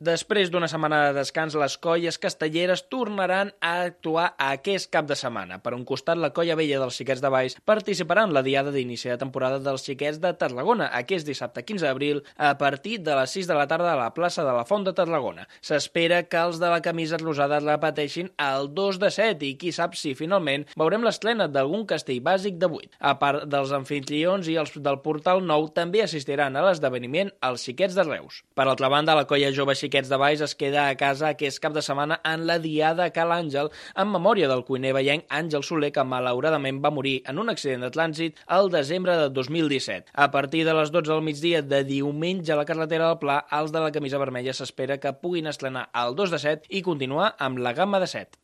Després d'una setmana de descans, les colles castelleres tornaran a actuar aquest cap de setmana. Per un costat, la colla vella dels Xiquets de Valls participarà en la diada d'inici de temporada dels Xiquets de Tarragona, aquest dissabte 15 d'abril, a partir de les 6 de la tarda a la plaça de la Font de Tarragona. S'espera que els de la camisa rosada repeteixin el 2 de 7 i qui sap si finalment veurem l'estrena d'algun castell bàsic de 8. A part dels anfitrions i els del Portal Nou, també assistiran a l'esdeveniment els Xiquets de Reus. Per altra banda, la colla jove Xiquets de Valls es queda a casa aquest cap de setmana en la diada a Cal Àngel en memòria del cuiner vallenc Àngel Soler, que malauradament va morir en un accident de trànsit el desembre de 2017. A partir de les 12 del migdia de diumenge a la carretera del Pla, els de la camisa vermella s'espera que puguin estrenar el 2 de 7 i continuar amb la gamma de 7.